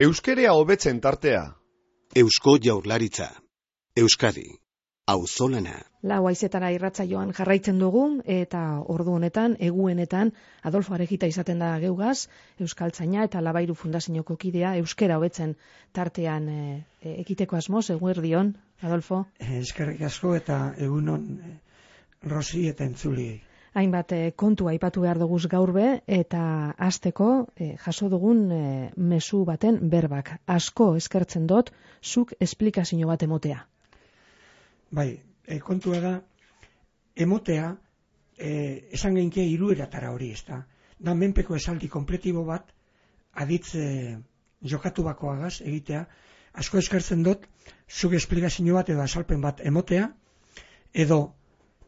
Euskerea hobetzen tartea. Eusko Jaurlaritza. Euskadi. Auzolana. Lau haizetara irratsaioan jarraitzen dugu eta ordu honetan, eguenetan, Adolfo Arejita izaten da geugaz, Euskaltzaina eta Labairu Fundazioko kidea, euskera hobetzen tartean ekiteko asmoz, eguerdion, Adolfo? Eskerrik asko eta egunon Rosi eta entzuliei. Hainbat kontu aipatu behar duguz gaur be, eta hasteko jaso dugun mezu baten berbak. Asko eskertzen dut, zuk esplikazio bat emotea. Bai, kontua da, emotea, esan geinke 3 eratara hori, ez da. Da menpeko esaldi kompletibo bat, aditz jokatu bakoagaz egitea, asko eskertzen dut, zuk esplikazio bat edo azalpen bat emotea, edo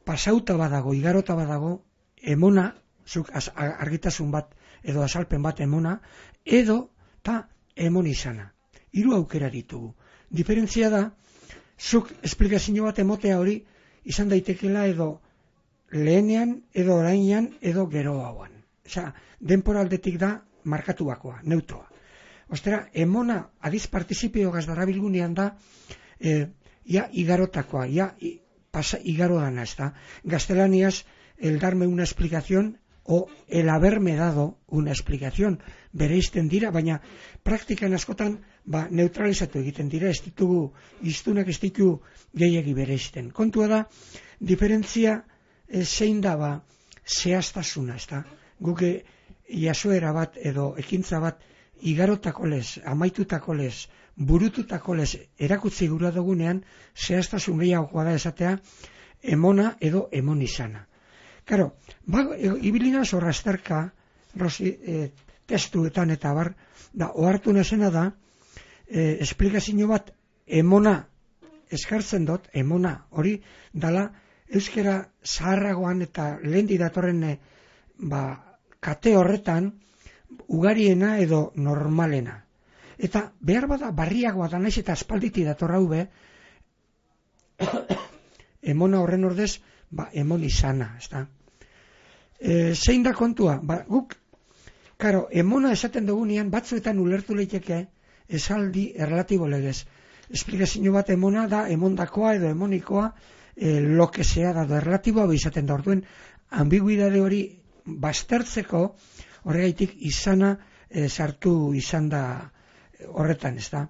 pasauta badago, igarota badago, emona, zuk argitasun bat edo azalpen bat emona, edo ta emon izana. 3 aukera ditugu. Diferentzia da, zuk esplikazio bat emotea hori izan daitekela edo lehenean, edo orainean, edo gero hauan. Osea, denporaldetik da markatu bakoa, neutroa. Ostera, emona adiz partizipio gazdarabilgunean da, igarotakoa, igaro dana, ez da. Gaztelaniaz, el darme una explicación o el haberme dado una explicación bereizten dira, baina praktikan askotan neutralizatu egiten dira, ez ditugu iztunak ez ditu gehiegi bereizten. Kontua da, diferentzia zein da zehaztasuna, ez da. Guk jasoera bat edo ekintza bat igarotako lez, amaitutako lez, burututako lez erakutzi gura dugunean, zehaztasun gehiagoa da esatea emona edo emon izana. Karo, ibilina zorra azterka, testuetan eta bar, ohartu nazena da, esplikazio bat emona eskartzen dut, emona hori dala euskera zaharragoan eta lehendi datorren kate horretan ugariena edo normalena. Eta behar bada barriagoa da naiz eta aspalditi datorra hube, emona horren ordez, emon izana, ez da. Zein da kontua? Guk, karo, emona esaten dugunean, batzuetan ulertu leiteke esaldi erlatibo legez. Esplikazio bat emona da, emondakoa edo emonikoa, lokesea da, erlatiboa izaten da, orduen, ambiguidade hori baztertzeko, horregaitik izana sartu izan da horretan, ez da.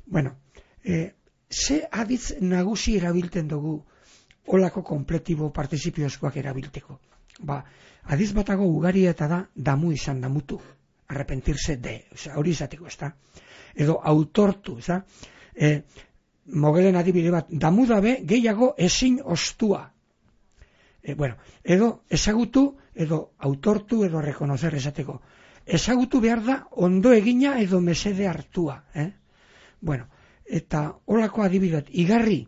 Bueno, ze aditz nagusi erabilten dugu olako kompletibo partizipioskoak erabilteko. Adiz batago ugaria eta da damu izan damutu, arrepentirse de, hori izateko, ez da. Edo autortu, ez da. Mogelen adibide bat, damu dabe gehiago ezin ostua. Edo ezagutu, edo autortu, edo rekonozer esateko. Ezagutu behar da ondo egina edo mesede hartua. Eta holako adibideat, igarri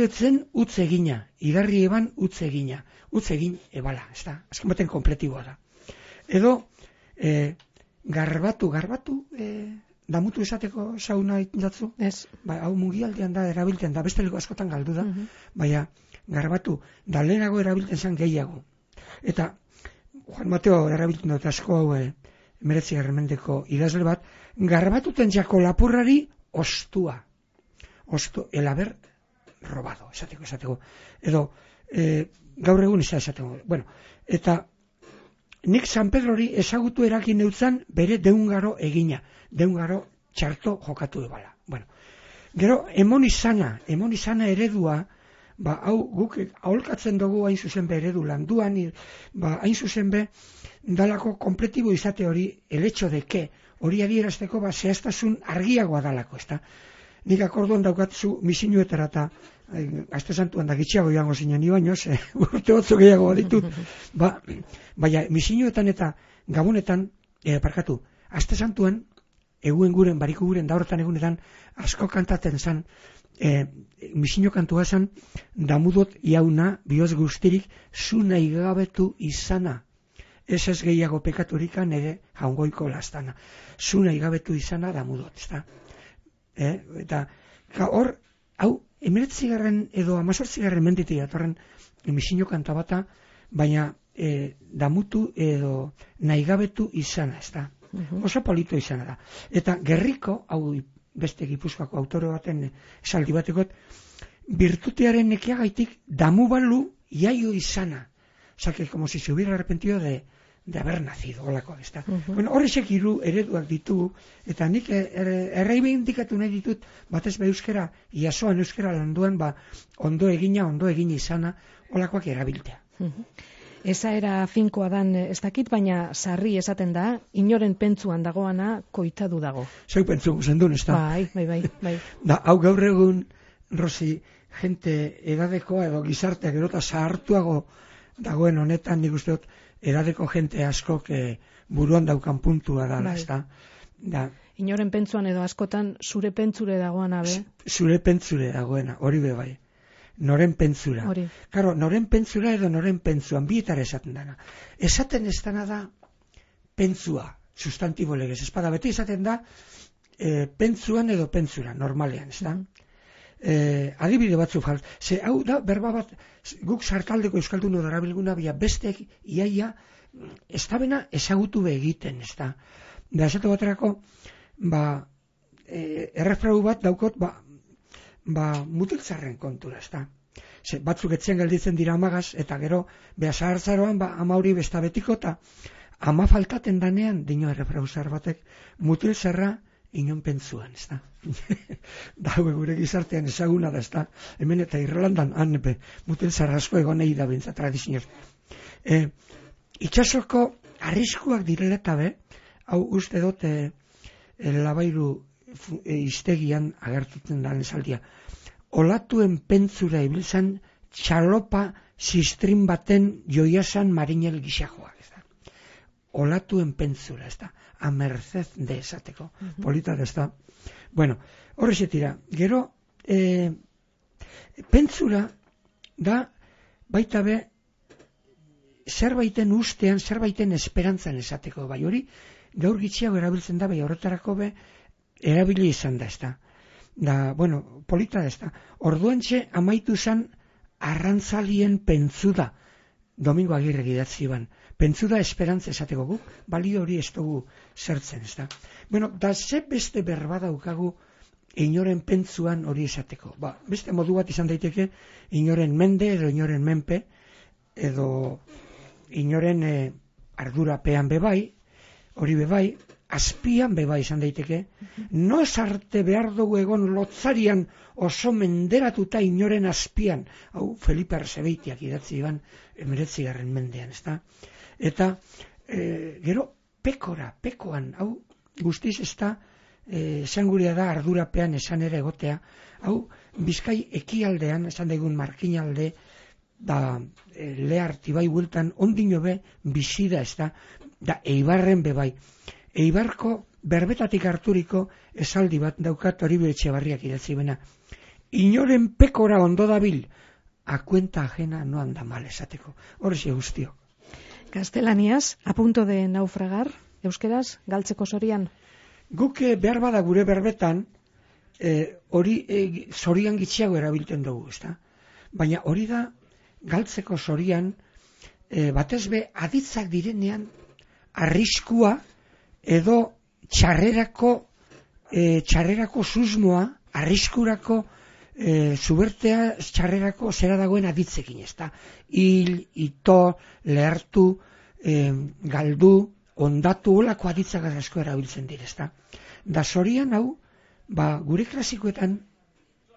etzen utz egina, igarri eban utz egina, utz egin ebala, ez da, azken baten kompletiboa da. Edo, garbatu, damutu esateko sauna jatzu? Ez. Hau mugialdean da erabiltzen da, besteliko askotan galdu da, baina garbatu, da lehenago erabiltzen zen gehiago. Eta, Juan Mateo erabiltzen dut asko hau 19. mendeko idazle bat, garbatuten jako lapurrari ostua. El haber robado, esateko. Edo, gaur egun esateko. Eta nik San Pedrori ezagutu erakin neutzan bere deungaro egina, deungaro txarto jokatu ebala. Gero, emon izana eredua, hau guk aholkatzen dugu hain zuzen be eredu landuan, hain zuzen be dalako kompletibo izate hori, el hecho de que, hori adierazteko zehaztasun argiagoa dalako, ezta? Nik akordon daukatzu misinuetara eta Aste Santuan da gitxiago joango zinen ibainoz, urte otzo gehiago ditut, baina misinuetan eta gabonetan, Aste Santuan, eguen guren, bariko guren, da horretan egunetan, asko kantaten zan, misino kantua zan, damudot jauna, bioz guztirik, zu nahi gabetu izana. Ez gehiago pekaturikan ere jaungoiko lastana. Zu nahi gabetu izana damudot, ez da. Eta hor, hau, 19. edo 18. menditik datorren misino kanta bata, baina damutu edo nahi gabetu izana, ez da. Oso polito izana da. Eta Gerriko, hau beste Gipuzkoako autore baten esaldi batekot, virtutearen nekeagaitik damu balu iaio izana. O sea, que como si se hubiera arrepentido de haber nacido, olakoak, ez da. Bueno, horrexek hiru ereduak ditugu, eta nik erreibindikatu nahi ditut, batez be euskera, iasoan euskera landuan, ondo egin izana, olakoak erabiltea. Eza era finkoa dan ez dakit, baina sarri esaten da, inoren pentsuan dagoana koitadu dago. Zeu pentsu guzendun, ez da. Bai. Da, hau gaur egun, Rosi, gente edadekoa edo gizarteak erota zahartuago dagoen honetan, nik uste dut, edadeko jente askok buruan daukan puntua da, ez da. Inoren pentsuan edo askotan zure pentsure dagoena, be? Zure pentsure dagoena, hori be bai. Noren pentsura. Karo, noren pentsura edo noren pentsuan, bietara esaten dana. Esaten ez dana da pentsua, sustantibo legez. Espada, beti esaten da pentsuan edo pentsura, normalean, ez da? Adibide batzu ze hau da berba bat guk sartaldeko euskalduno darabilguna besteek iaia ez da bena ezagutu be egiten, ez da. Da esatu baterako errefrau bat daukot mutiltzarren kontura, ez da. Ze batzuk etxean gelditzen dira amagaz eta gero zahartzaroan ama hori besta betiko eta ama faltaten danean dino errefrau zar batek mutiltzarra inon pentsuan, ez da. Daue gure gizartean ezaguna da, ez da. Hemen eta Irlandan, mutil zarrasko egonei da bintza tradizioz. Itxasoko arriskuak direla eta hau uste dut Labairu iztegian agertutzen da esaldia. Olatuen pentsura ibiltzan txalopa sistrin baten joiasan marinel gixajoak, ez da. Olatuen pentsura, ez da. A merced de esateko. Polita da, ez da. Bueno, horrexetira, gero pentsura da baita be zerbaiten ustean, zerbaiten esperantzan esateko, bai hori gaur gitxiago erabiltzen da, bai horretarako be erabili izan da, ez da. Da, bueno, polita da, ez da. Orduantxe amaitu zan arrantzalien pentsuda, Domingo Agirre idatzi ban. Pentsuda esperantza esateko guk, balio hori ez dugu zertzen, ez da. Bueno, da ze beste berba daukagu inoren pentsuan hori esateko. Beste modu bat izan daiteke, inoren mende edo inoren menpe, edo inoren ardurapean bebai, hori bebai, azpian bebai izan daiteke, no arte behar dugu egon lotzarian oso menderatuta inoren azpian, hau Felipe Arzebeitiak idatzi iban 19. mendean, ez da. Eta gero pekoan, hau guztiz ez da, esanguria da ardurapean esan ere egotea, hau Bizkai ekialdean, esan daigun Markinalde, da lehartibai bueltan, ondino be, bizida ez da Eibarren bebai. Eibarko berbetatik harturiko esaldi bat daukat Oribe Etxebarriak idatzi bena. Inoren pekora ondo dabil, a cuenta ajena no anda mal esateko. Horrexe guztio. Gaztelaniaz, a punto de naufragar, euskeraz, galtzeko zorian? Guk behar bada gure berbetan, hori zorian gitxiago erabiltzen dugu, ezta? Baina hori da, galtzeko zorian, batez be, aditzak direnean, arriskua, edo txarrerako susmoa, arriskurako, zubertea txarrerako zera dagoen aditzekin, ezta? Hil, ito, lehartu, galdu, ondatu, olako aditzak asko erabiltzen dire, ezta? Da zorian hau, gure klasikoetan,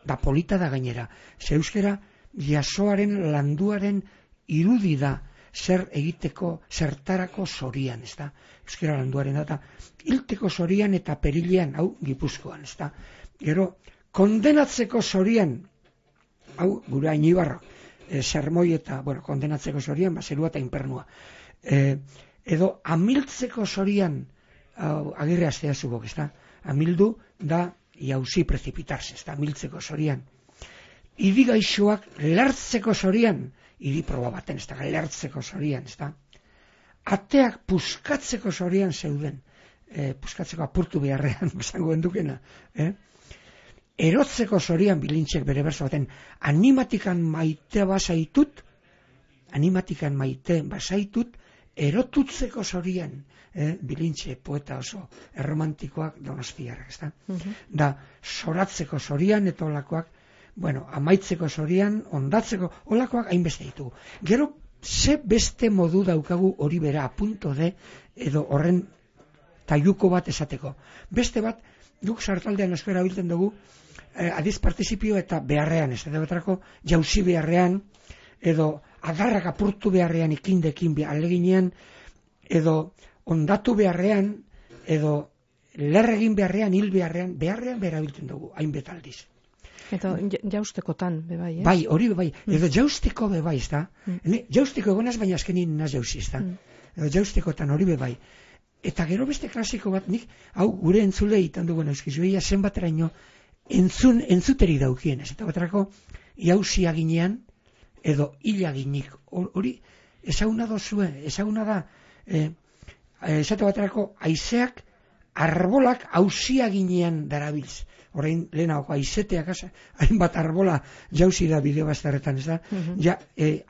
da polita da gainera, ze euskera jasoaren landuaren irudi da, zer egiteko, zertarako zorian, ez da? Euskera landuaren da, hilteko zorian eta perilean, hau, Gipuzkoan, ez da? Gero, kondenatzeko zorian, hau, gure Ainibarra, sermoi eta, kondenatzeko zorian, zerua eta inpernua. Edo, amiltzeko zorian, Agirre astea zubok, ez da? Amildu da, jauzi precipitarse, ez da? Amiltzeko zorian. Irigaixoak lertzeko zorian, iri proba baten, ez da, lertzeko zorian, ez da. Ateak puskatzeko zorian zeuden, puskatzeko apurtu beharrean, esango endukena. Erotzeko zorian bilintxek bere berzo baten, animatikan maite basaitut, erotutzeko zorian, Bilintxe poeta oso erromantikoak Donostiarrak, ezta? Da, soratzeko zorian eta olakoak, bueno, amaitzeko zorian, ondatzeko, olakoak hainbeste ditugu. Gero, ze beste modu daukagu hori bera, apunto de, edo horren taiuko bat esateko. Beste bat, guk sartaldean asko erabiltzen dugu, adiz partizipio eta beharrean, ez da batrako, jauzi beharrean, edo adarrak apurtu beharrean ikindekin aleginean, edo ondatu beharrean, edo lerregin beharrean, hil beharrean berabiltzen dugu, hainbet aldiz. Eta jaustekotan, bebai, Bai, hori bebai, edo jausteko bebai, ez da? Jausteko egonaz, baina azkenin naz jauzi, ez da? Edo jaustekotan hori bebai. Eta gero beste klasiko bat, nik, hau, gure entzule itan dugun euskizu, eia zenbateraino entzuteri daukien, ez? Eta batrako, jauzia ginean, edo hila ginik, hori, ezaguna dozue, ezaguna da, esate baterako aizeak arbolak hauzia ginean darabiltz. Orain lehenako aizeteak hainbat arbola jauzi da bideo bazterretan, ez da? Ja,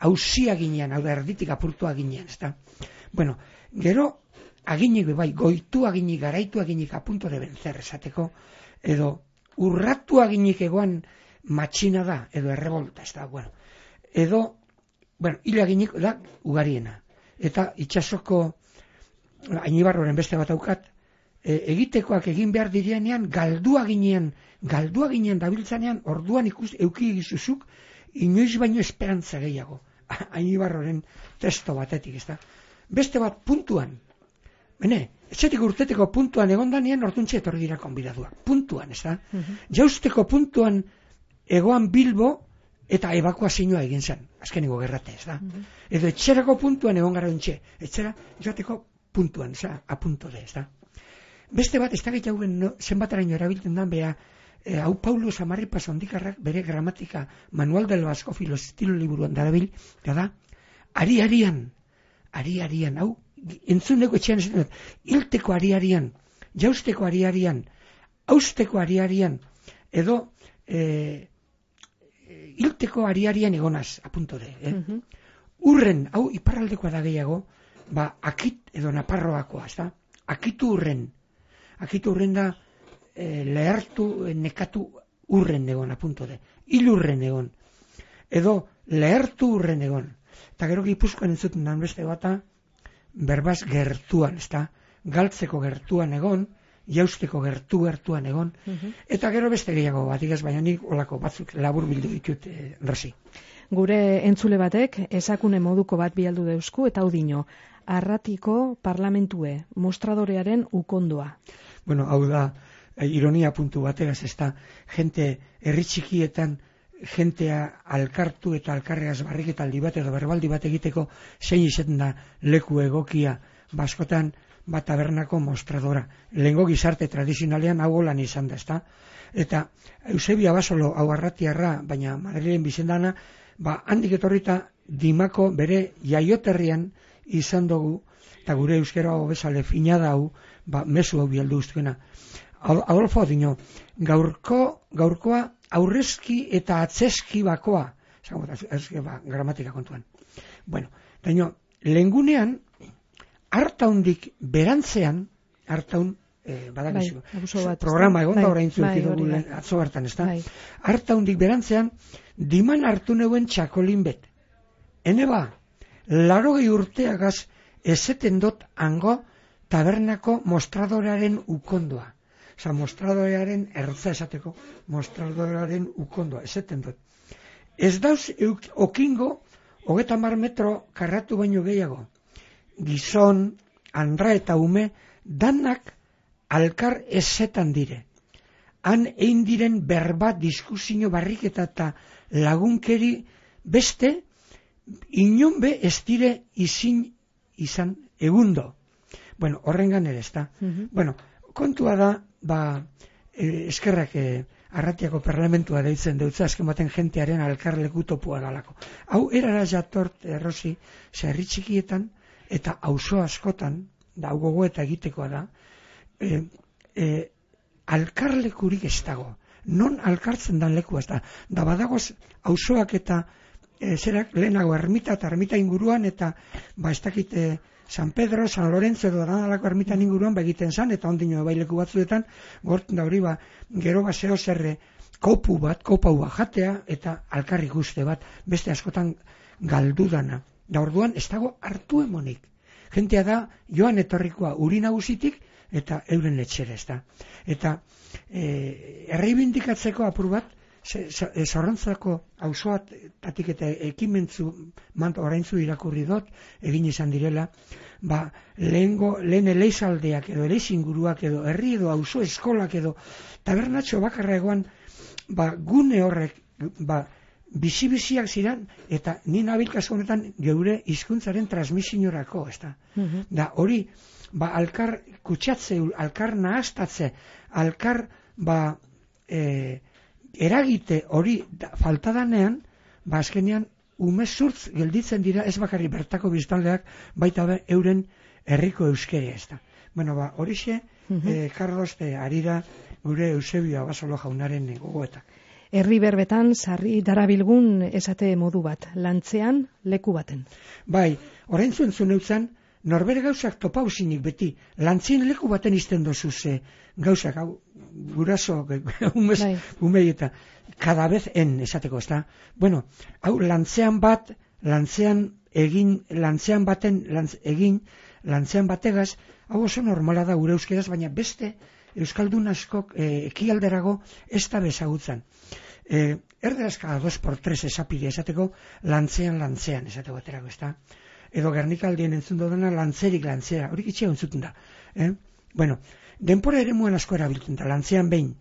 hauzia ginean, hau da erditik apurtua ginean, ez da? Bueno, gero aginik bai, goitu aginik, garaitu aginik apunto de benzer esateko, edo urratu aginik egoan matxina da, edo errebolta, ez da? Bueno, edo, hila aginik da ugariena. Eta itxasoko Ainibarroren beste bat aukat, egitekoak egin behar direnean, galdua ginean dabiltzanean, orduan euki egizuzuk, inoiz baino esperantza gehiago. Ainibarroren testo batetik, ez da. Beste bat puntuan, etxetik urteteko puntuan egondanean, orduntxe etorri dira konbidaduak. Puntuan, ez da. Jausteko puntuan egoan Bilbo, eta evakuazioa egin zen, azkeniko gerrate, ez da. Edo etxerako puntuan egon gara ontxe, etxera joateko puntuan, apunto de, ez da. Beste bat, ez da gehiagoen zenbataraino erabiltzen dan, beha, hau Paulo Samarripa Sondikarrak bere gramatika Manual del Vasco Filostilo liburuan darabil, da, ari-arian, hau, entzuneko etxean ez dut, hilteko ari-arian, jausteko ari-arian, hausteko ari-arian, edo, hilteko ari-arian egonaz, apunto de, Urren, hau iparraldekoa da gehiago, akit edo Naparroakoa, ez da? Akitu urren da lehartu, nekatu urren egon, apunto de. Hil urren egon. Edo lehartu urren egon. Eta gero Gipuzkoan entzuten dan beste bata, berbaz gertuan, ez da? Galtzeko gertuan egon, jausteko gertuan egon, eta gero beste gehiago bat, baina nik olako batzuk labur bildu ditut Rosi. Gure entzule batek esakune moduko bat bialdu deusku eta hau dino, Arratiko parlamentue, mostradorearen ukondoa. Bueno, hau da, ironia puntu bategaz, ez da, jente herri txikietan, jentea alkartu eta alkarreaz barriketaldi bat edo berbaldi bat egiteko zein izaten da leku egokia baskotan bat tabernako mostradora. Lehengo gizarte tradizionalean hau lan izan da, ezta? Eta Eusebia Basolo hau Arratiarra, baina Madrilen bizendana, handik etorrita Dimako bere jaioterrian izan dugu, eta gure euskera bezale fina hau, mezu hau bialdu ustuena. Adolfo dino, gaurkoa aurrezki eta atzeski bakoa, gramatika kontuan. Bueno, daño, lehengunean, hartaundik berantzean, hartaun, badakizu, programa egon da orain zuki dugu atzo hartan, ez da? Hartaundik berantzean, diman hartu neuen txakolin bet. Hene 80 urteagaz ezeten dot hango tabernako mostradorearen ukondoa. Osa, mostradorearen ertza esateko, mostradorearen ukondoa, ezeten dut. Ez dauz okingo, 30 metro karratu baino gehiago. Gizon, andra eta ume, danak alkar ezetan dire. Han egin diren berba, diskuzio, barriketa eta lagunkeri beste, inon be ez dire izan egundo. Bueno, horrengan ere ez da. Bueno, kontua da, eskerrak Arratiako parlamentua deitzen deutza, azken baten jentearen alkarleku topua dalako. Hau erara jatort, Rosi, herri txikietan, eta auzo askotan, da gogo eta egitekoa da, alkarlekurik ez dago. Non alkartzen dan lekua ez da. Da badagoz auzoak eta zerak lehenago ermita eta ermita inguruan, eta ez dakit San Pedro, San Lorenzo edo danalako ermitan inguruan egiten zan, eta ondino baileku batzuetan, gorten da hori gero zeo zerre kopau bat jatea, eta alkarrik uste bat, beste askotan galdu dana. Da orduan, ez dago hartu emonik. Jentea da, joan etorrikoa uri nagusitik, eta euren etxera, ez da. Eta erreibindikatzeko apur bat, Zorrontzako auzoatatik eta ekimentzu oraintzu irakurri dut, egin izan direla, lehen eleizaldeak edo eleizinguruak edo herri edo auzo eskolak edo tabernatxo bakarra egoan, gune horrek, bizi-biziak ziren, eta ni nabilkazu honetan geure hizkuntzaren transmisiorako, ez da. Da hori, alkar kutsatze, alkar nahastatze, alkar, eragite hori faltadanean, azkenean umezurtz gelditzen dira ez bakarri bertako biztanleak, baita euren herriko euskera ez da. Bueno, horixe, Carlos, ari da gure Eusebio Abasolo jaunaren gogoetak. Herri berbetan sarri darabilgun esate modu bat, lantzean leku baten. Bai, orain zuen eutzan, norbere gauzak topauzinik beti, lantzien leku baten izten dozu ze gauzak, guraso, umei eta kadabez esateko, ez da? Bueno, hau lantzean bategaz, hau oso normala da gure euskeraz, baina beste euskaldun askok ekialderago ez da bezagutzen. Erderazka 2x3 esapide esateko, lantzean esateko baterako, ez da? Edo Gernikaldien entzun dudana lantzerik lantzera, horik itxea entzuten da. Bueno, denpora ere muen asko erabiltzen da, lantzean behin.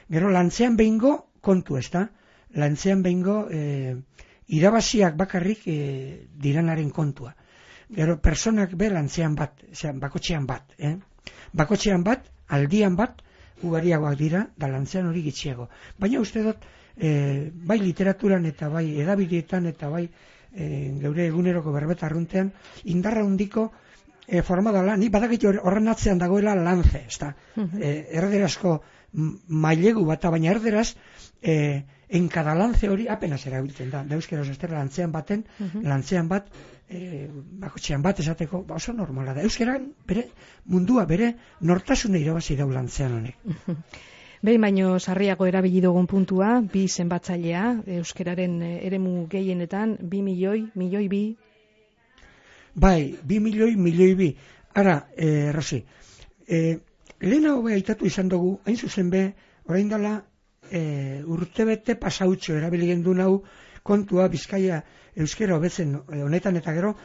Gero lantzean behingo kontu, ez da? Lantzean behingo irabaziak bakarrik diranaren kontua. Gero personak be lantzean bat, bakotxean bat. Bakotxean bat, aldian bat, ugariagoak dira, da lantzean hori gitxiago. Baina uste dut, bai literaturan eta bai edabideetan eta bai geure eguneroko berbeta arruntean, indarra hundiko formadala, ni badakit horren atzean dagoela lantze, ez da. Erderazko mailegu bat, baina erderaz, enkadalantze hori apenas erabiltzen da. Euskeraz estera lantzean bat, bakotxean bat esateko, oso normala da. Euskeran, mundua, bere nortasune irabazi dau lantzean honek. Behin baino sarriago erabili dugun puntua, bi zenbatzailea, euskeraren eremu gehienetan, 2 milioi 2. Bai, 2 milioi 2. Ara, Rosi, lehenago aitatu izan dugu, hain zuzen be, orain dela urtebete pasautxo erabili gendu nau kontua Bizkaia euskera hobetzen honetan eta gero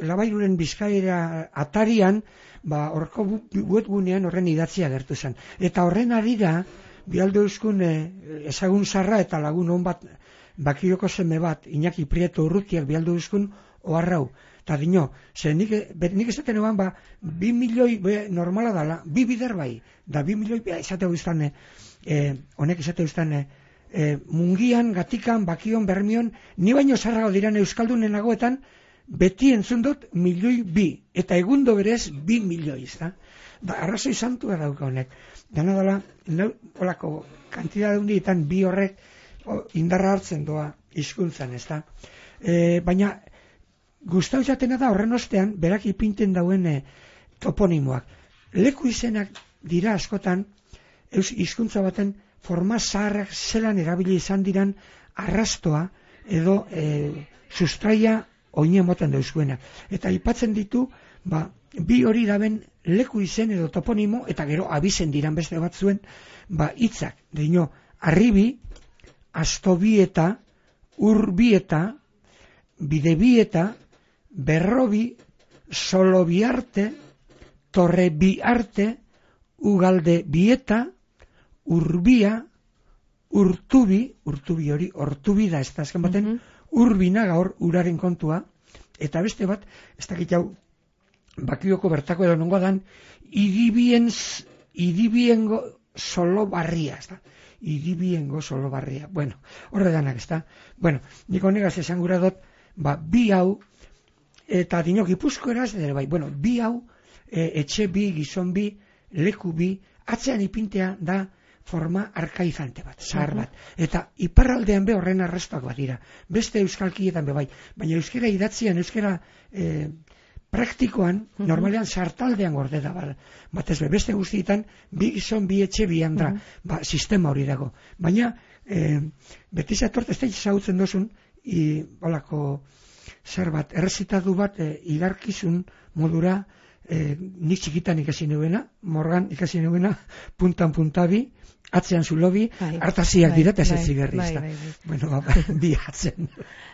Labairuren Bizkaira atarian horko webgunean horren idatzia gertu zen. Eta horren arira bialdo euskun ezagun zarra eta lagun hon bat bakioko seme bat Iñaki Prieto Urrutiak bialdo euskun oharrau. Eta dino, nik esaten eban 2 milioi normala dala, 2 bider bai, da 2 milioi esateu izan honek esateu izan mungian, gatikan, bakion, bermion, ni baino zarrago diran euskaldunen nagoetan, beti entzun dut 1 milioi 2, eta egundo berez 2 milioi, da? Arrazoi santua dauka honek. Dena dela, olako kantidad hundietan bi horrek indarra hartzen doa hizkuntzan, ez da? Baina, gustau jatena da horren ostean, berak ipinten dauen toponimoak. Leku izenak dira askotan, hizkuntza baten forma zaharrak zelan erabili izan diran arrastoa edo sustraia oine moten dauzkuena. Eta aipatzen ditu, bi hori daben leku izen edo toponimo, eta gero abizen diran beste batzuen, hitzak. Dino, arribi, astobieta, urbieta, bidebieta, berrobi, solobiarte, torrebiarte, ugalde bieta, urbia, urtubi hori, ortubi da, ez da azken baten, urbina gaur uraren kontua, eta beste bat, ez dakit jau, bakioko bertako edo nongo dan, idibiengo solo barria, ez da, idibiengo solo barria, bueno, horre danak, ez da, bueno, niko negaz esan gura dut, bi hau, eta dino Gipuzko eraz, bueno, bi hau, etxe bi, gizon bi, leku bi, atzean ipintea da forma arkaizante bat, zahar bat. Eta iparraldean be horren arrastoak bat dira. Beste euskalkietan be bai. Baina euskera idatzian, euskera praktikoan, normalean sartaldean gorde da, batez be, beste guztietan, bi gizon, bi etxe, bi handra, sistema hori dago. Baina, beti zatort, ez da izagutzen dozun, olako zer bat, errezitatu bat, igarkizun modura, nik txikitan ikasi nuena, Morgan ikasi nuena, puntan puntabi, atzean zulobi, hartaziak dira eta ez ziberri. Bueno, bi atzen.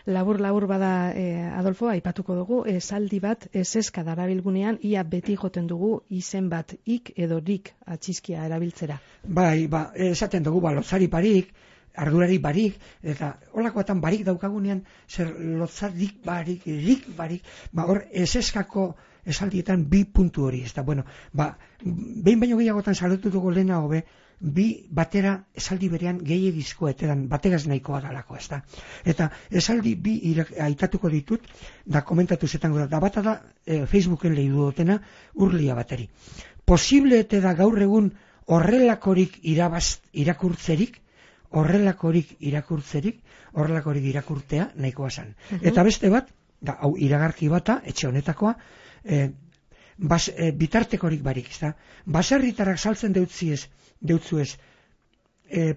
Labur bada, Adolfo, aipatuko dugu, esaldi bat eseska darabilgunean, ia beti joten dugu izen bat ik edo rik atxizkia erabiltzera. Bai, esaten dugu, lotzari barik, ardurari barik, eta holakoetan barik daukagunean, zer lotzarik barik, rik barik, hor eseskako esaldietan bi puntu hori, ez da, bueno, behin baino gehiagotan salotu dugu lehena hobe, bi batera esaldi berean gehiagizko eteran bateraz nahikoa dalako, ez da. Eta esaldi bi aitatuko ditut, da komentatu zetango da bata da, Facebooken lehi dutena, urlia bateri. Posible ete da gaur egun horrelakorik irakurtzerik, horrelakorik irakurtea nahikoa zan. Eta beste bat, da, hau iragarki bata, etxe honetakoa, bitartekorik barik, ez da. Baserritarrak saltzen deutzuez,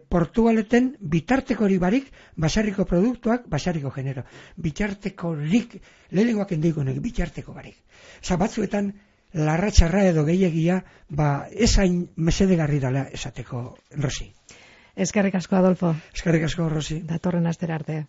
Portugaleten bitartekorik barik, baserriko produktuak, baserriko genero. Bitartekorik, lehenengoak endikonek, bitarteko barik. Osa, batzuetan, larratxarra edo gehiagia, esain mesedegarri dela esateko, Rosi. Eskerrik asko, Adolfo. Eskerrik asko, Rosi. Datorren astera arte.